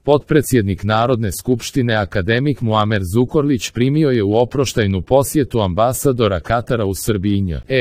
Potpredsjednik Narodne skupštine akademik Muamer Zukorlić primio je u oproštajnu posjetu ambasadora Katara u Srbiji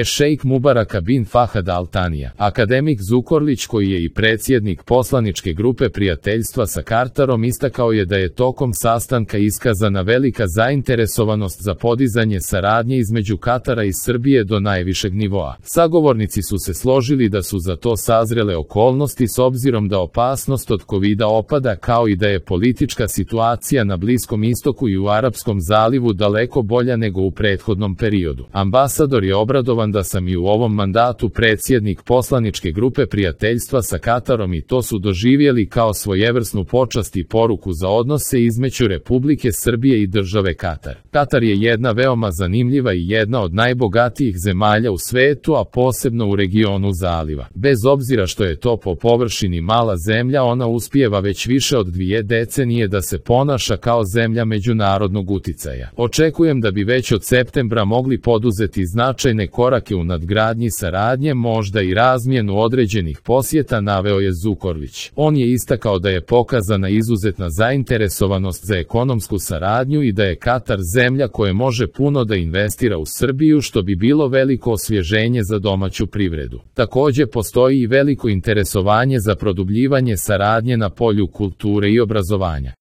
šejk Mubaraka bin Fahad Al Tanija. Akademik Zukorlić, koji je i predsjednik poslaničke grupe prijateljstva sa Katarom, istakao je da je tokom sastanka iskazana velika zainteresovanost za podizanje saradnje između Katara i Srbije do najvišeg nivoa. Sagovornici su se složili da su za to sazrele okolnosti s obzirom da opasnost od Kovida opada, kao i da je politička situacija na Bliskom istoku i u Arapskom zalivu daleko bolja nego u prethodnom periodu. Ambasador je obradovan da sam i u ovom mandatu predsjednik poslaničke grupe prijateljstva sa Katarom i to su doživjeli kao svojevrsnu počast i poruku za odnose između Republike Srbije i države Katar. Katar je jedna veoma zanimljiva i jedna od najbogatijih zemalja u svetu, a posebno u regionu zaliva. Bez obzira što je to po površini mala zemlja, ona uspijeva već više od 2 decenije da se ponaša kao zemlja međunarodnog uticaja. Očekujem da bi već od septembra mogli poduzeti značajne korake u nadgradnji saradnje, možda i razmjenu određenih posjeta, naveo je Zukorlić. On je istakao da je pokazana izuzetna zainteresovanost za ekonomsku saradnju i da je Katar zemlja koja može puno da investira u Srbiju, što bi bilo veliko osvježenje za domaću privredu. Također postoji i veliko interesovanje za produbljivanje saradnje na polju kulture i obrazovanja.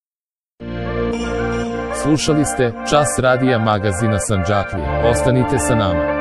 Slušali ste Čas radija magazina Sandžaklije. Ostanite sa nama.